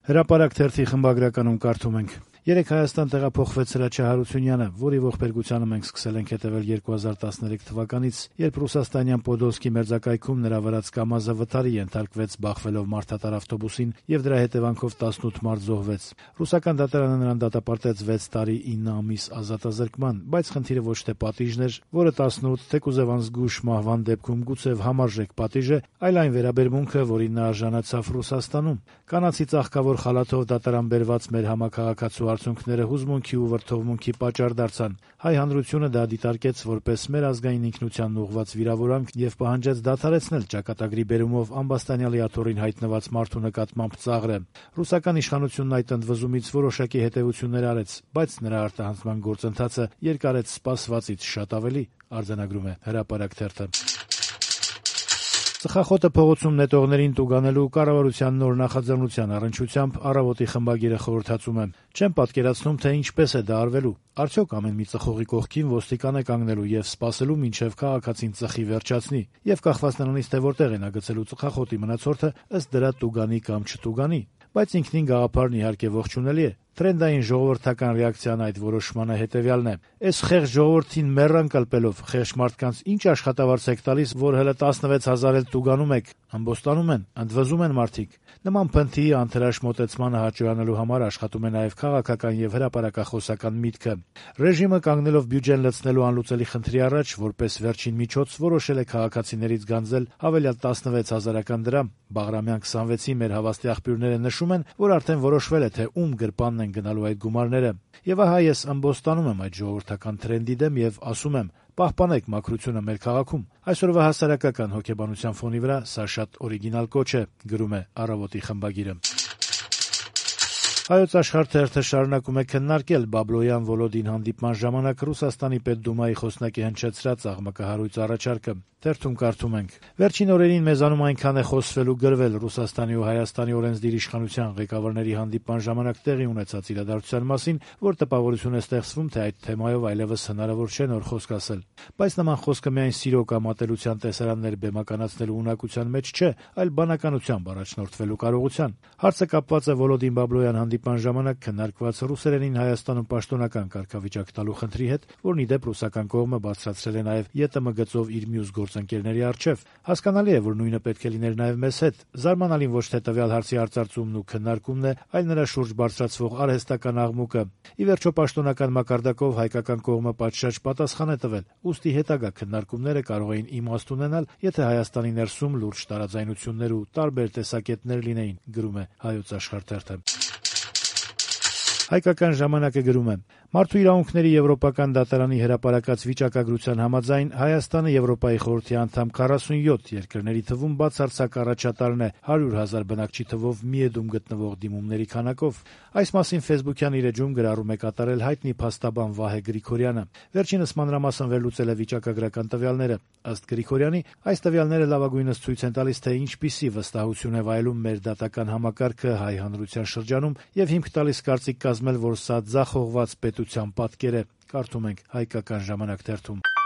Հրապարակ թերթի խմբագրականում կարդում ենք. Երեկ Հայաստան տեղափոխվեց Հրաչյա Հարությունյանը, որի ողբերգությանը մենք սկսել ենք հետևել 2013 թվականից, երբ ռուսաստանյան Պոդոլսկի մերձակայքում նրա վրաց Կամազը վթարի ենթարկվեց բախվելով մարդատար ավտոբուսին եւ դրա հետևանքով 18 մարդ զոհվեց։ Ռուսական դատարանը նրան դատապարտեց 6 տարի 9 ամիս ազատազրկման, բայց խնդիրը ոչ թե պատիժն էր, որը 18 թեկուզև անզգույշ մահվան դեպքում գուցեւ համարժեք պատիժ է, այլ այն վերաբերմունքը, որին նա արժանացավ Ռուսաստանում։ Կանացի ծաղկավոր խալաթով դատարան բերված մեր համակարգացու արդյունքները հուզմունքի ու վրդովմունքի պատճառ դարձան։ Հայ հանրությունը դա դիտարկեց որպես մեր ազգային ինքնությանն ուղղված վիրավորանք եւ պահանջեց դադարեցնել ճակատագրի բերումով ամբաստանյալի աթոռին հայտնված մարդու նկատմամբ ծաղրը։ Ռուսական իշխանությունն այդ ընդվզումից որոշակի հետեւություններ արեց, բայց նրա արտահանձնման գործընթացը երկարեց սպասվածից շատ ավելի, արձանագրում է Հրապարակ թերթը։ Ծխախոտը փողոցում նետողներին տուգանելու կառավարության նոր նախաձեռնության առնչությամբ Առավոտի խմբագիրը խորհրդածում է. Չեմ պատկերացնում, թե ինչպես է դա արվելու։ Արդյոք ամեն մի ծխողի կողքին ոստիկան է կանգնելու եւ սպասելու մինչեւ քաղաքացին ծխի վերջացնի, եւ կախված նրանից թե որտեղ է նա գցելու ծխախոտի մնացորդը, ըստ դրա տուգանի կամ չտուգանի։ Բայց ինքնին գաղափարն իհարկե ողջունելի է։ Տրենդային ժողովրդական ռեակցիան այդ որոշմանը հետեւյալն է. «Էս խեղճ ժողովրդին մեռան կլպելով, խեղճ մարդկանց ինչ աշխատավարձ եք տալիս, որ հələ 16000 էլ տուգանում եք, ամբոստանում են, ընդվզում են մարդիկ»։ Նման փնթի անթրաշ մոտեցմանը հաճոյանալու համար աշխատում է նաև քաղաքական եւ հրապարակախոսական միտքը։ Ռեժիմը կանգնելով բյուջեն լցնելու անլուծելի խնդրի առաջ, որպես վերջին միջոց որոշել է քաղաքացիներից գանձել հավելյալ 16000 դրամ։ Բաղրամյան 26-ի մեր հավաստի աղբյուրները նշում են, որ արդեն որոշվել է, թե ում գրպանն են գնալու այդ գումարները։ Եվ ահա ես ամբոստանում եմ այդ ժողովրդական տրենդի դեմ եւ ասում եմ. պահպանեք մաքրությունը մեր քաղաքում։ Այսօրվա հասարակական հոգեբանության ֆոնի վրա սա շատ օրիգինալ կոչ է, գրում է Առավոտի խմբագիրը։ Հայոց Աշխարհ թերթը շարունակում է քննարկել Բաբլոյան-Վոլոդին հանդիպման ժամանակ Ռուսաստանի Պետդումայի խոսնակի հնչեցրած աղմկահարույց առաջարկը։ Թերթում կարդում ենք. Վերջին օրերին մեզանում այնքան է խոսվել ու գրվել Ռուսաստանի ու Հայաստանի օրենսդիր իշխանության ղեկավարների հանդիպման ժամանակ տեղի ունեցած իրադարձության մասին, որ տպավորություն է ստեղծվում, թե այդ թեմայով այլևս հնարավոր չէ նոր խոսք ասել։ Բայց նման խոսքը միայն սիրո կամ ատելության տեսարաններ բեմականացնելու ունակության մեջ չէ, այլ բանականությամբ առաջնորդվելու կարողության։ Հարցը կապված է Վոլոդին Բաբլոյան հանդիպման ժամանակ քննարկված ռուսերենին Հայաստանում պաշտոնական կարգավիճակ տալու խնդրի հետ, որն ի դեպ ռուսական կողմը բարձրացրել է նաև ԵՏՄ գծով իր մյուս գործընկերների առջև։ Հասկանալի է, որ նույնը պետք է լիներ նաև մեզ հետ։ Զարմանալին ոչ թե տվյալ հարցի արծարծումն ու քննարկումն է, այլ նրա շուրջ բարձրացվող արհեստական աղմուկը։ Ի վերջո պաշտոնական մակարդակով հայկական կողմը պատշաճ պատասխան է տվել, ուստի հետագա քննարկումները կարող էին իմաստ ունենալ, եթե Հայաստանի ներսում լուրջ տարաձայնություններ ու տարբեր տեսակետներ լինեին, գրում է Հայոց Աշխարհ թերթը։ Հայկական ժամանակը գրում է. Մարդու իրավունքների եվրոպական դատարանի հրապարակած վիճակագրության համաձայն Հայաստանը Եվրոպայի խորհրդի անդամ 47 երկրների թվում բացարձակ առաջատարն է 100,000 բնակչի թվով միեդում գտնվող դիմումների քանակով։ Այս մասին Facebook-յան իր էջում գրառում է կատարել հայտնի փաստաբան Վահե Գրիգորյանը։ Վերջինս մանրամասն վերլուծել է վիճակագրական տվյալները։ Ըստ Գրիգորյանի, այս տվյալները լավագույնս ցույց են տալիս, թե ինչպիսի վստահություն է վայելում մեր դատական համակարգը հայ հանրության շրջանում եւ հիմք տալիս կարծիք կազմել, որ սա ձախողված պետության պատկեր է, կարդում ենք Հայկական ժամանակ թերթում։